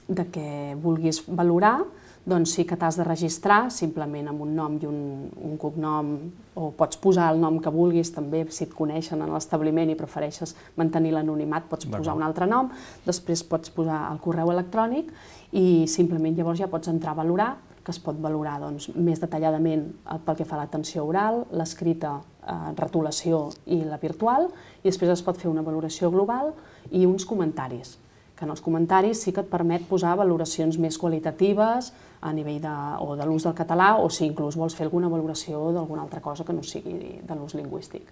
de que vulguis valorar, doncs sí que t'has de registrar simplement amb un nom i un, un cognom, o pots posar el nom que vulguis també, si et coneixen en l'establiment i prefereixes mantenir l'anonimat, pots posar un altre nom, després pots posar el correu electrònic i simplement llavors ja pots entrar a valorar, que es pot valorar doncs, més detalladament pel que fa a l'atenció oral, l'escrita, eh, retolació i la virtual, i després es pot fer una valoració global i uns comentaris, que en els comentaris sí que et permet posar valoracions més qualitatives a nivell de, o de l'ús del català, o si inclús vols fer alguna valoració d'alguna altra cosa que no sigui de l'ús lingüístic.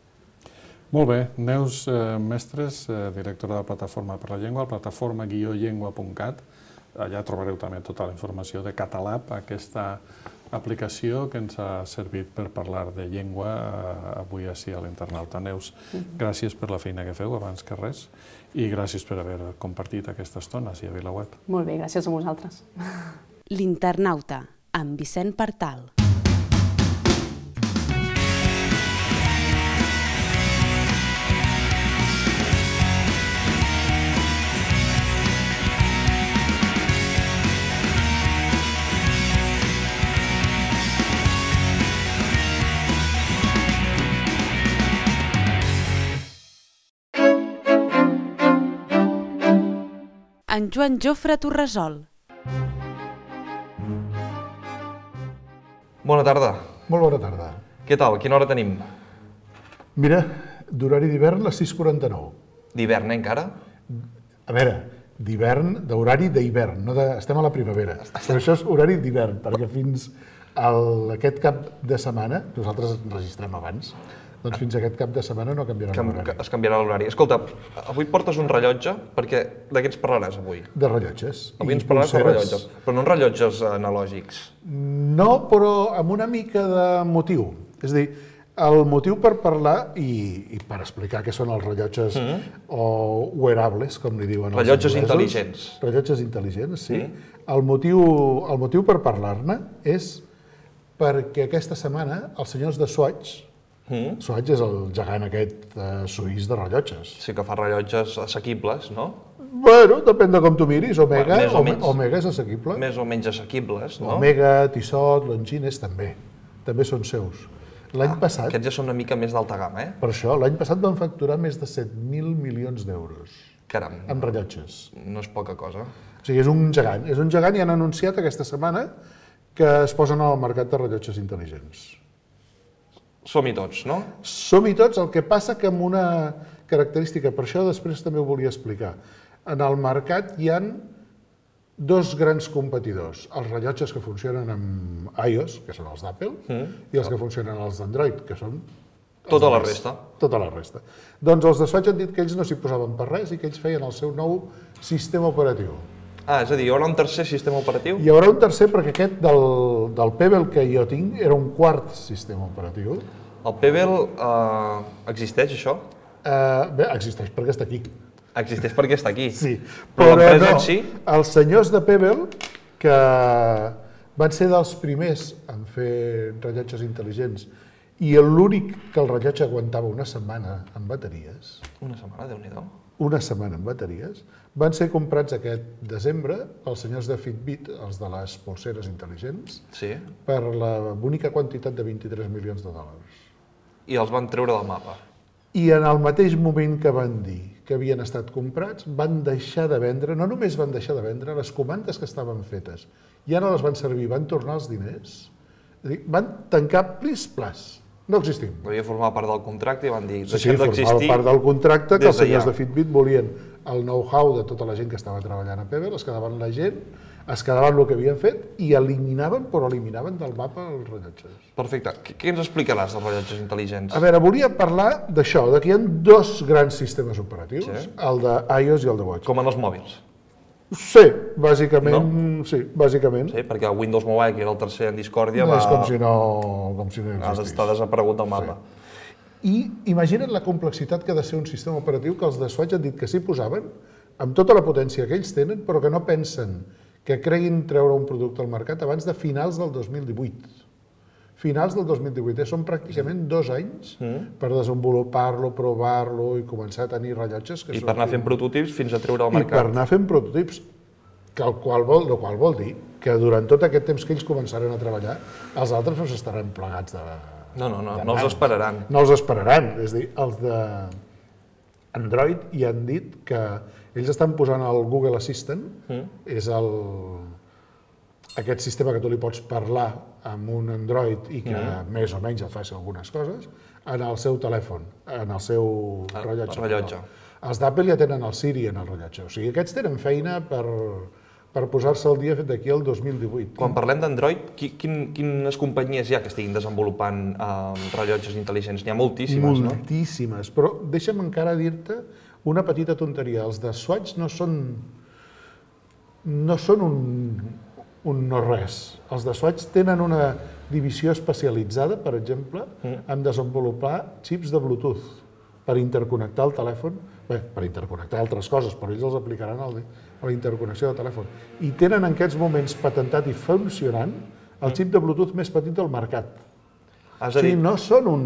Molt bé. Neus eh, Mestres, eh, directora de Plataforma per la Llengua, plataforma guió llengua punt cat. Allà trobareu també tota la informació de Catalab, aquesta aplicació que ens ha servit per parlar de llengua eh, avui així a l'Internauta. Neus, gràcies per la feina que feu abans que res i gràcies per haver compartit aquesta estona així a VilaWeb. Molt bé, gràcies a vosaltres. L'Internauta, amb Vicent Partal. En Joan Jofre Torresol. Bona tarda. Molt bona tarda. Què tal? Quina hora tenim? Mira, d'horari d'hivern les sis quaranta-nou. D'hivern, eh, encara? A veure, d'hivern, d'horari d'hivern, no de... estem a la primavera. Però això és horari d'hivern, perquè fins a aquest cap de setmana, nosaltres ens registrem abans, doncs fins a aquest cap de setmana no canviarà l'horari. Es canviarà l'horari. Escolta, avui portes un rellotge, perquè de què ens parlaràs avui? De rellotges. Avui ens parlaràs de rellotges, però no rellotges analògics. No, però amb una mica de motiu. És a dir, el motiu per parlar i, i per explicar què són els rellotges mm. o wearables, com li diuen els rellotges anglesos. intel·ligents. Rellotges intel·ligents, sí. Mm. El, motiu, el motiu per parlar-ne és perquè aquesta setmana els senyors de Swatch, mm. Swatch és el gegant aquest eh, suís de rellotges. Sí que fa rellotges assequibles, no? Bueno, depèn de com tu miris. Omega, Més o menys. Omega és assequible. Més o menys assequibles, no? Omega, Tissot, Longines també. També són seus. L'any Ah, passat, aquests ja són una mica més d'alta gamma, eh? per això, l'any passat van facturar més de set mil milions d'euros Caram, amb rellotges. no és poca cosa. O sigui, és un gegant. És un gegant i han anunciat aquesta setmana que es posen al mercat de rellotges intel·ligents. Som-hi tots, no? Som-hi tots, el que passa que amb una característica, per això després també ho volia explicar. En el mercat hi han dos grans competidors, els rellotges que funcionen amb iOS, que són els d'Apple, mm. i els que funcionen els d'Android, que són... Tota la resta. Tota la resta. Doncs els de Swatch han dit que ells no s'hi posaven per res i que ells feien el seu nou sistema operatiu. Ah, és a dir, hi haurà un tercer sistema operatiu? Hi haurà un tercer perquè aquest del, del Pebble que jo tinc era un quart sistema operatiu. El Pebble eh, existeix, això? Eh, bé, existeix perquè està aquí. Existeix perquè està aquí. Sí, però, però l'empresa no. en si... Els senyors de Pebble, que van ser dels primers en fer rellotges intel·ligents i l'únic que el rellotge aguantava una setmana amb bateries. Una setmana, Déu-n'hi-do. una setmana amb bateries, van ser comprats aquest desembre pels senyors de Fitbit, els de les polseres intel·ligents, Sí. per la bonica quantitat de vint-i-tres milions de dòlars. I els van treure del mapa. I en el mateix moment que van dir que havien estat comprats, van deixar de vendre, no només van deixar de vendre, les comandes que estaven fetes ja no les van servir, van tornar els diners, és a dir, van tancar plis plas. No existim. Devia formar part del contracte i van dir Sí, sí, deixem formava d'existir. part del contracte que des els senyors d'allà. de Fitbit volien el know-how de tota la gent que estava treballant a Pebble, es quedaven la gent, es quedaven el que havien fet i eliminaven, però eliminaven del mapa els rellotges. Perfecte. Què, què ens explicaràs dels rellotges intel·ligents? A veure, volia parlar d'això, de que hi ha dos grans sistemes operatius, Sí. el de iOS i el de Watch. Com en els mòbils. Sí, bàsicament, sí, bàsicament. Sí, perquè el Windows Mobile, que era el tercer en discòrdia, No va... és com si no, com si no ha existís. d'estar desaparegut del mapa. I imagina't la complexitat que ha de ser un sistema operatiu que els de Swatch han dit que s'hi posaven, amb tota la potència que ells tenen, però que no pensen que creguin treure un producte al mercat abans de finals del dos mil divuit. Finals del dos mil divuit, eh? Són pràcticament dos anys per desenvolupar-lo, provar-lo i començar a tenir rellotges que I són... per anar fent prototips fins a treure al I per mercat. anar fent prototips, que el qual vol, el qual vol dir que durant tot aquest temps que ells començaran a treballar, els altres no s'estaran plegats de... No, no, no, de no els mans. esperaran. No els esperaran, és a dir, els de Android ja han dit que ells estan posant el Google Assistant, és el, aquest sistema que tu li pots parlar amb un Android i que més o menys et faci algunes coses, en el seu telèfon, en el seu El rellotge. rellotge. Els d'Apple ja tenen el Siri en el rellotge, o sigui, aquests tenen feina per, per posar-se al dia d'aquí al dos mil divuit. Quan parlem d'Android, qui, quin, quines companyies hi ha que estiguin desenvolupant eh, rellotges intel·ligents? N'hi ha moltíssimes, no? Moltíssimes, però deixa'm encara dir-te una petita tonteria. Els de Swatch no són, no són un, un no res. Els de Swatch tenen una divisió especialitzada, per exemple, en desenvolupar xips de Bluetooth per interconnectar el telèfon, bé, per interconnectar altres coses, però ells els aplicaran a la interconnexió del telèfon. I tenen en aquests moments patentat i funcionant el xip de Bluetooth més petit del mercat. Has O de sigui, dir, no són un...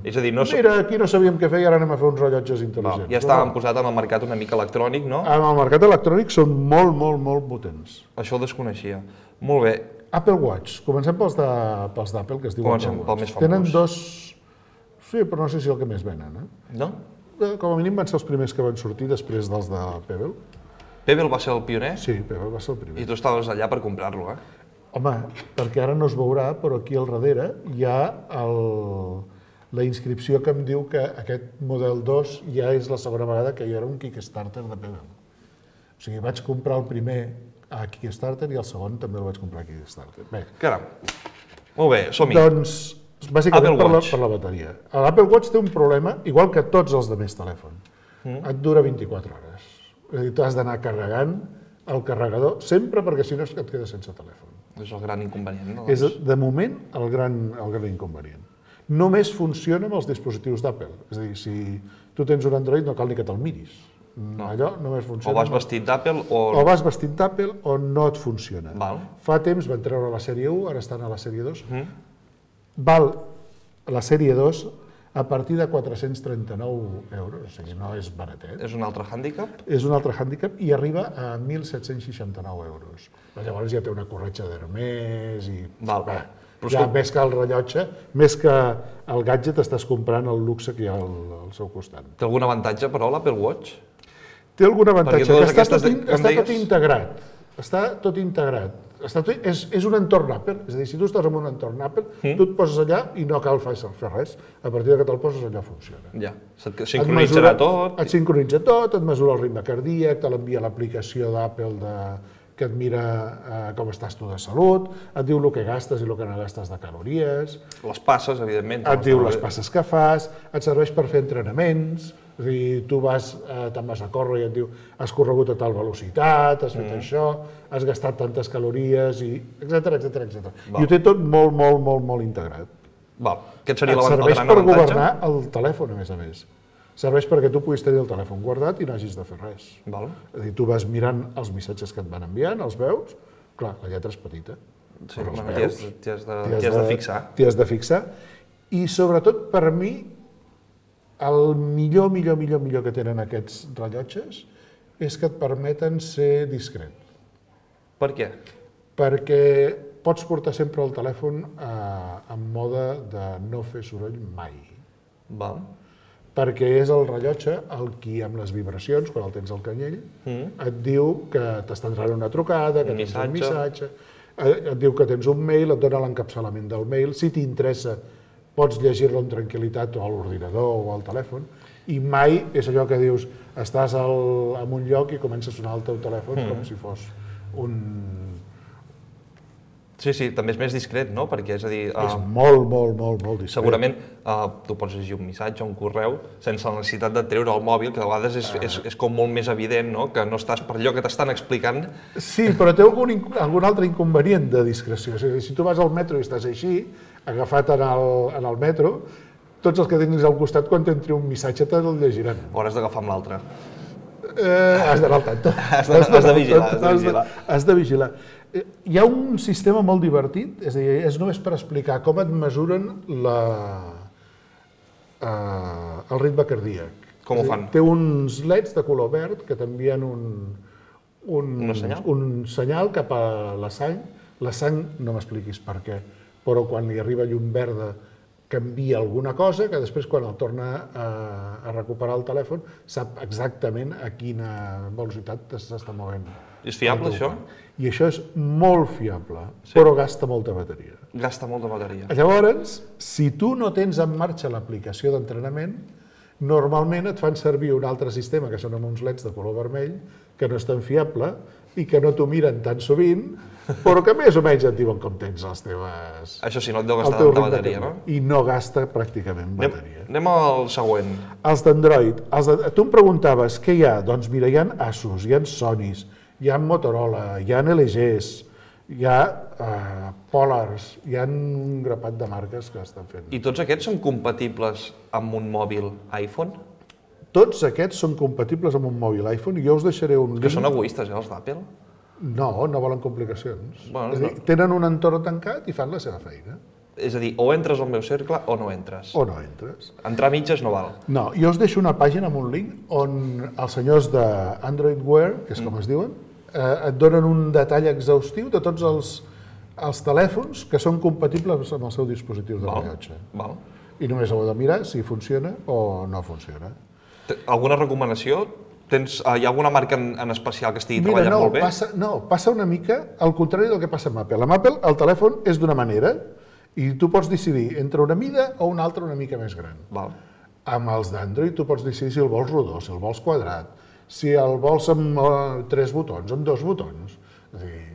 és a dir, no són... Mira, aquí no sabíem què fer i ara anem a fer uns rellotges Val, intel·ligents. ja estàvem posat en el mercat una mica electrònic, no? En el mercat electrònic són molt, molt, molt potents. Això ho desconeixia. Molt bé. Apple Watch. Comencem pels de, pels d'Apple, que es diuen Comencem Apple pel Watch. més famós. Tenen dos... Sí, però no sé si el que més venen. Eh? No? Com a mínim van ser els primers que van sortir després dels de Pebble. Pebble va ser el pioner Sí, Pebble va ser el primer. i tu estaves allà per comprar-lo, eh? Home, perquè ara no es veurà, però aquí al darrere hi ha el, la inscripció que em diu que aquest model dos ja és la segona vegada que jo era un Kickstarter de Pebble. O sigui, vaig comprar el primer a Kickstarter i el segon també el vaig comprar a Kickstarter. Bé, Caram. Molt bé, som-hi. doncs, bàsicament Apple per la, Watch. per la bateria. L'Apple Watch té un problema, igual que tots els de més telèfon. Mm. Et dura vint-i-quatre hores. És a dir, tu has d'anar carregant el carregador sempre perquè si no et quedes sense telèfon. És el gran inconvenient, no? És, de moment, el gran, el gran inconvenient. Només funciona amb els dispositius d'Apple. És a dir, si tu tens un Android no cal ni que te'l miris. No. Allò només funciona... O vas vestit d'Apple o... O vas vestit d'Apple o no et funciona. Val. Fa temps van treure la sèrie u, ara estan a la sèrie dos. Mm. Val la sèrie dos a partir de quatre-cents trenta-nou euros, o sigui, no és baratet. És un altre hàndicap? És un altre hàndicap i arriba a mil set-cents seixanta-nou euros. Però llavors ja té una corretja d'Hermès i... Val. Bé, Però ja escolta- més que el rellotge, més que el gadget, estàs comprant el luxe que hi ha al, al seu costat. Té algun avantatge, però, l'Apple Watch? Té algun avantatge, totes que està, aquestes tot, de- in, que em està tot deies- integrat. Està tot integrat. Està tot, és, és un entorn Apple, és a dir, si tu estàs en un entorn Apple, mm. tu et poses allà i no cal fer fer res. A partir de que te'l poses allà funciona. Ja, se't Et sincronitzarà mesura- tot. Et sincronitza tot, et mesura el ritme cardíac, te l'envia l'aplicació d'Apple de, que et mira eh, com estàs tu de salut, et diu el que gastes i el que no gastes de calories, Les passes, evidentment. et diu les passes que fas, et serveix per fer entrenaments, és a dir, tu vas, eh, te'n vas a córrer i et diu has corregut a tal velocitat, has fet mm. això, has gastat tantes calories, i etcètera, etcètera, etcètera. I ho té tot molt, molt, molt, molt integrat. Val. Aquest seria Et el serveix gran per avantatge. governar el telèfon, a més a més. Serveix perquè tu puguis tenir el telèfon guardat i no hagis de fer res. Val. És a dir, tu vas mirant els missatges que et van enviant, els veus, clar, la lletra és petita, Sí, però els bueno, t'hi has, veus, t'hi has, de, t'hi t'hi has de fixar. T'hi has de fixar. I sobretot per mi, El millor, millor, millor, millor que tenen aquests rellotges és que et permeten ser discret. Per què? Perquè pots portar sempre el telèfon en mode de no fer soroll mai. Val. Perquè és el rellotge el qui, amb les vibracions, quan el tens al canyell, et diu que t'està entrant una trucada, que tens un missatge, et diu que tens un mail, et dona l'encapçalament del mail, si t'interessa pots llegir-lo amb tranquil·litat o a l'ordinador o al telèfon, i mai és allò que dius, estàs en un lloc i comença a sonar el teu telèfon com si fos un... Sí, sí, també és més discret, no? Perquè, és a dir... És molt, molt, molt, molt discret. Segurament tu pots llegir un missatge, un correu, sense la necessitat de treure el mòbil, que a vegades és com molt més evident, no? Que no estàs per allò que t'estan explicant. Sí, però té algun altre inconvenient de discreció. Si tu vas al metro i estàs així, agafat en el metro, tots els que tinguis al costat, quan t'entri un missatge, te'l llegiran. O has d'agafar amb l'altre. Has d'anar al tanto. Has de vigilar, has de vigilar. Has de vigilar. Hi ha un sistema molt divertit, és a dir, és només per explicar com et mesuren el ritme cardíac. Com ho fan? Té uns leds de color verd que t'envien un senyal cap a la sang. La sang, no m'expliquis per què, però quan li arriba llum verda canvia alguna cosa, que després quan el torna a recuperar el telèfon sap exactament a quina velocitat s'està movent. És fiable, això? I això és molt fiable, però gasta molta bateria. Gasta molta bateria. Llavors, si tu no tens en marxa l'aplicació d'entrenament, normalment et fan servir un altre sistema, que són amb uns leds de color vermell, que no és tan fiable i que no t'ho miren tan sovint, però que més o menys et diuen com tens les teves... Això sí, no et deu gastar tanta bateria, no? I no gasta pràcticament bateria. Anem al següent. Els d'Android. Tu em preguntaves què hi ha? Doncs mira, hi ha Asus, hi ha Sonys, hi ha Motorola, hi ha L Gs, hi ha Polars, hi ha un grapat de marques que estan fent. I tots aquests són compatibles amb un mòbil iPhone? Tots aquests són compatibles amb un mòbil iPhone i jo us deixaré un link... Que són egoistes, eh, els d'Apple? No, no volen complicacions. És a dir, tenen un entorn tancat i fan la seva feina. És a dir, o entres al meu cercle o no entres. O no entres. Entrar a mitges no val. No, jo us deixo una pàgina amb un link on els senyors d'Android Wear, que és com es diuen, et donen un detall exhaustiu de tots els, els telèfons que són compatibles amb el seu dispositiu de rellotge. Val. I només heu de mirar si funciona o no funciona. Alguna recomanació? Tens, hi ha alguna marca en, en especial que estigui Mira, treballant no, molt bé? Passa, no, passa una mica al contrari del que passa amb Apple. Amb Apple el telèfon és d'una manera i tu pots decidir entre una mida o una altra una mica més gran. Val. Amb els d'Android tu pots decidir si el vols rodó, si el vols quadrat, si el vols amb uh, tres botons, amb dos botons. És a dir,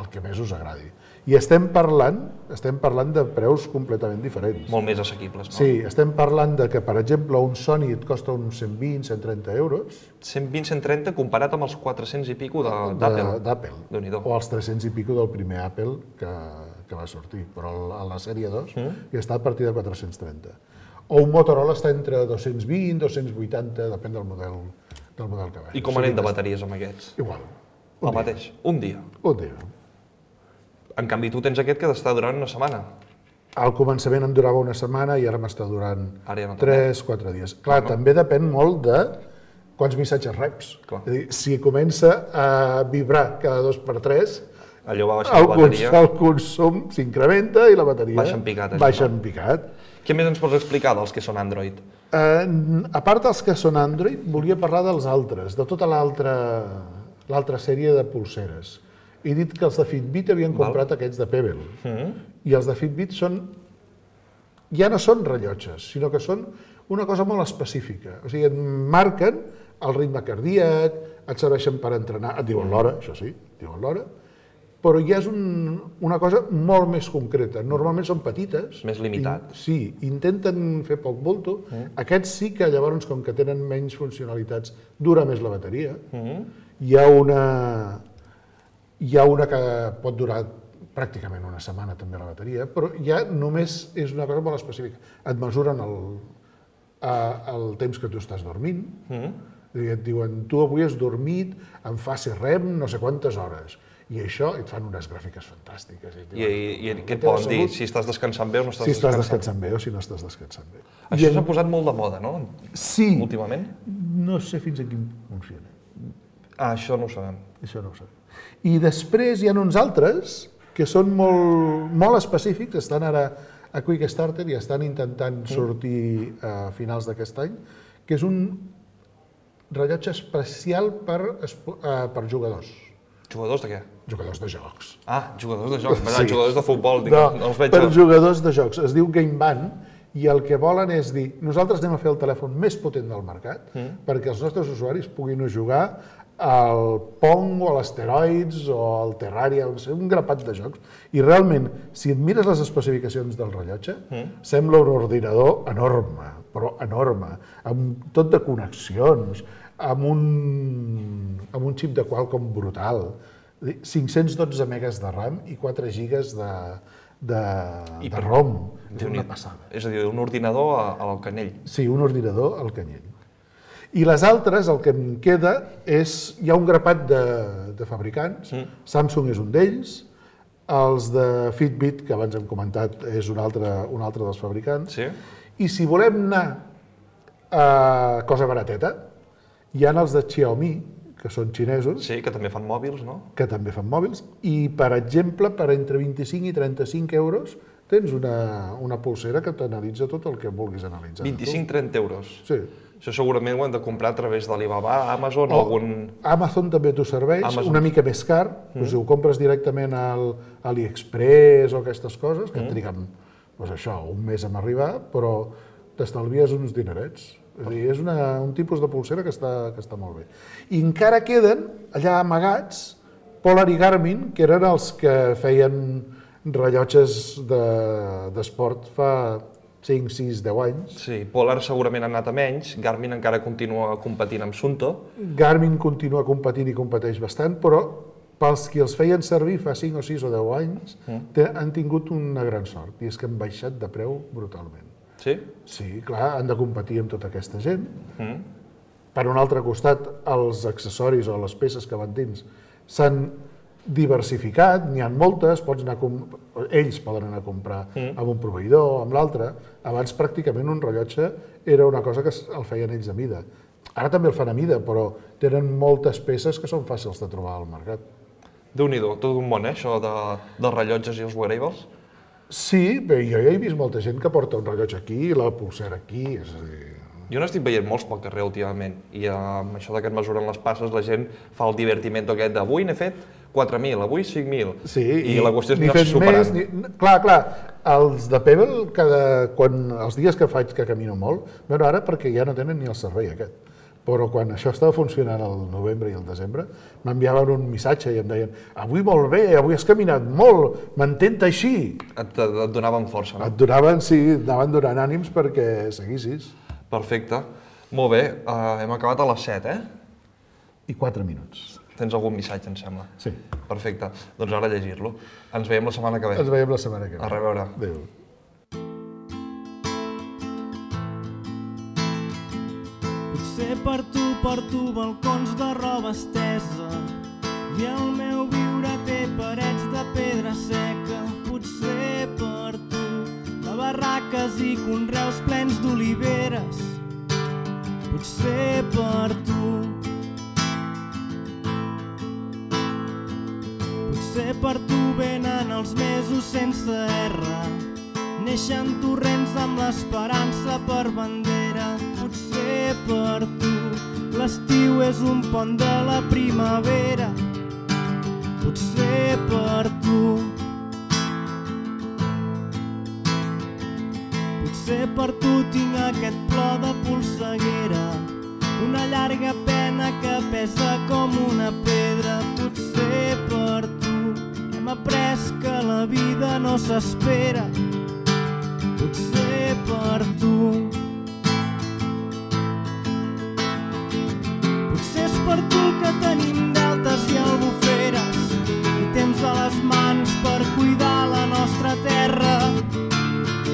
el que més us agradi. I estem parlant, estem parlant de preus completament diferents. Molt més assequibles, no? Sí, estem parlant de que, per exemple, un Sony et costa uns cent vint, cent trenta euros. cent vint, cent trenta comparat amb els quatre-cents i pico d'Apple. D'Apple. Déu-n'hi-do. O els tres-cents i pico del primer Apple que, que va sortir. Però a la sèrie dos mm? ja està a partir de quatre-cents trenta. O un Motorola està entre dos-cents vint, dos-cents vuitanta, depèn del model, del model que va. I com anem de bateries amb aquests? Igual. El mateix. Un dia. Un dia. En canvi, tu tens aquest que t'està durant una setmana. Al començament em durava una setmana i ara m'està durant ja no tres quatre dies. Clar, no. També depèn molt de quants missatges reps. Clar. És a dir, si comença a vibrar cada dos per tres, allò va baixar la bateria. El consum s'incrementa i la bateria baixa en picat. Baixa en picat. Què més ens pots explicar dels que són Android? Eh, a part dels que són Android, volia parlar dels altres, de tota l'altra l'altra sèrie de pulseres. He dit que els de Fitbit havien comprat Val. Aquests de Pebble. Mm-hmm. I els de Fitbit són, ja no són rellotges, sinó que són una cosa molt específica. O sigui, et marquen el ritme cardíac, et serveixen per entrenar, et diuen l'hora, això sí, et diuen l'hora, però ja és un, una cosa molt més concreta. Normalment són petites. Més limitat. I, sí, intenten fer poc bulto. Mm. Aquests sí que llavors, com que tenen menys funcionalitats, dura més la bateria. Mm. Hi ha una... Hi ha una que pot durar pràcticament una setmana també la bateria, però ja només és una cosa molt específica. Et mesuren el, el temps que tu estàs dormint, mm. et diuen tu avui has dormit en fase R E M no sé quantes hores, I això et fan unes gràfiques fantàstiques. I, i, i què et poden dir? Si estàs descansant bé o no estàs descansant bé? Si estàs descansant descansant bé o si no estàs descansant bé. Això s'ha posat molt de moda, no? Sí. Últimament? No sé fins a quin funciona. Ah, això no ho sabem. Això no ho sabem. I després hi ha uns altres que són molt, molt específics, estan ara a Quickstarter i estan intentant sortir a finals d'aquest any, que és un rellotge especial per, per jugadors. Jugadors de què? Jugadors de jocs. Ah, jugadors de jocs, sí. Jugadors de futbol, dic, no, no els veig. Per jugadors de jocs. Es diu Game Band i el que volen és dir, nosaltres anem a fer el telèfon més potent del mercat mm. perquè els nostres usuaris puguin jugar al Pong o a l'Asteroids o al Terraria, un grapat de jocs. I realment, si et mires les especificacions del rellotge, mm. sembla un ordinador enorme, però enorme, amb tot de connexions, amb un, amb un xip de Qualcomm brutal, cinc-cents dotze megas de RAM i quatre gigas de, de, I de ROM. És una passada. És a dir, un ordinador al canyell. Sí, un ordinador al canyell. I les altres, el que em queda, és... Hi ha un grapat de, de fabricants, mm. Samsung és un d'ells, els de Fitbit, que abans hem comentat, és un altre, un altre dels fabricants, sí. I si volem anar a cosa barateta, hi ha els de Xiaomi, que són xinesos. Sí, que també fan mòbils, no? Que també fan mòbils. I, per exemple, per entre vint-i-cinc i trenta-cinc euros tens una, una pulsera que t'analitza tot el que vulguis analitzar. vint-i-cinc a trenta euros? Sí. Això segurament ho hem de comprar a través d'Alibaba, Amazon o algun... Amazon també t'ho serveix, Amazon. Una mica més car. Mm. Doncs si ho compres directament al AliExpress o aquestes coses, que mm. et triguen doncs això, un mes en arribar, però t'estalvies uns dinerets. És a dir, és una, un tipus de pulsera que està, que està molt bé. I encara queden allà amagats Polar i Garmin, que eren els que feien rellotges d'esport de, fa cinc, sis, deu anys. Sí, Polar segurament ha anat a menys, Garmin encara continua competint amb Sunto. Garmin continua competint i competeix bastant, però pels qui els feien servir fa cinc o sis o deu anys, mm. han tingut una gran sort, i és que han baixat de preu brutalment. Sí? Sí, clar, han de competir amb tota aquesta gent. Mm. Per un altre costat, els accessoris o les peces que van dins s'han diversificat, n'hi ha moltes, pots anar a ells poden anar a comprar mm. amb un proveïdor, amb l'altre. Abans pràcticament un rellotge era una cosa que el feien ells a mida. Ara també el fan a mida, però tenen moltes peces que són fàcils de trobar al mercat. Déu-n'hi-do, tot un món, eh, això de, dels rellotges i els wearables. Sí, bé, jo ja he vist molta gent que porta un rellotge aquí i la pulsera aquí, és a dir... Jo n'estic veient molts pel carrer últimament, i amb això que et mesuren les passes, la gent fa el divertiment aquest d'avui n'he fet quatre mil, avui cinc mil, sí, i, i la qüestió és ni anar-se superant. Més, ni... Clar, clar, els de Pebble, cada... quan... els dies que faig que camino molt, bueno, ara perquè ja no tenen ni el servei aquest, però quan això estava funcionant al novembre i al desembre, m'enviaven un missatge i em deien avui molt bé, avui has caminat molt, mantén així. Et, et donaven força, no? Et donaven, sí, et anaven donant ànims perquè seguissis. Perfecte. Molt bé, uh, hem acabat a les set, eh? I quatre minuts. Tens algun missatge, em sembla? Sí. Perfecte. Doncs ara llegir-lo. Ens veiem la setmana que ve. Ens veiem la setmana que ve. A reveure. Adéu. Potser per tu porto balcons de roba estesa i el meu viure té parets de pedra seca. Potser per tu de barraques i conreus plens d'oliveres. Potser per tu. Potser per tu venen els mesos sense erra. Neixen torrents amb l'esperança per bandera. Potser per tu l'estiu és un pont de la primavera. Potser per tu. Potser per tu tinc aquest plor de polseguera, una llarga pena que pesa com una pedra. Potser per tu hem après que la vida no s'espera. Potser per tu. Potser és per tu que tenim deltes i albuferes i temps a les mans per cuidar la nostra terra,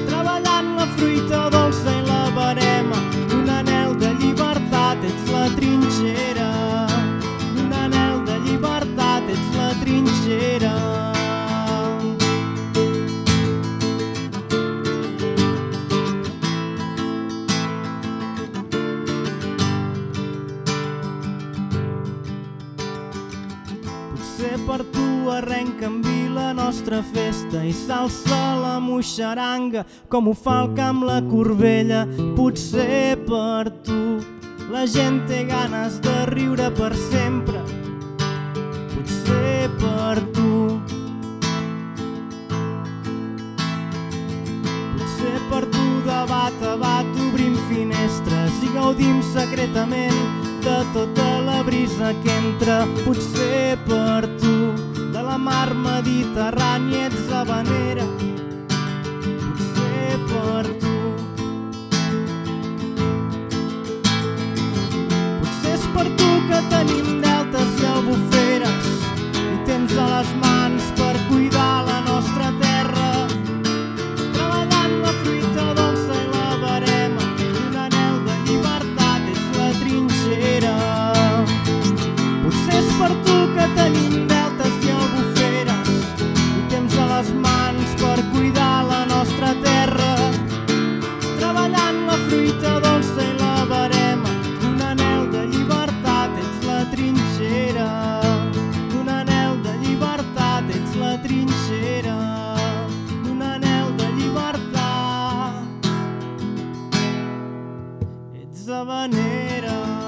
treballant la fruita dolça i la verema d'un anhel de llibertat. Ets la trinxera d'un anhel de llibertat. Ets la trinxera. Potser per tu arrenca en vi la nostra festa i s'alça la moixaranga com ho fa el camp la Corbella. Potser per tu la gent té ganes de riure per sempre. Potser per tu. Potser per tu de bat a bat obrim finestres i gaudim secretament de tota la brisa que entra. Potser per tu de la mar Mediterrània ets habanera. Potser per tu. Potser és per tu que tenim deltes i albuferes i temps a les mans per cuidar la nostra terra, treballant la fruita dolça i la verema, un anhel de llibertat ets la trinxera. Potser és per tu que tenim deltes i albuferes i temps a les mans per cuidar la nostra terra, treballant la fruita dolça i la verema, un anhel de llibertat ets la trinxera. Un anhel de llibertat ets la trinxera. Un anhel de llibertat ets habanera.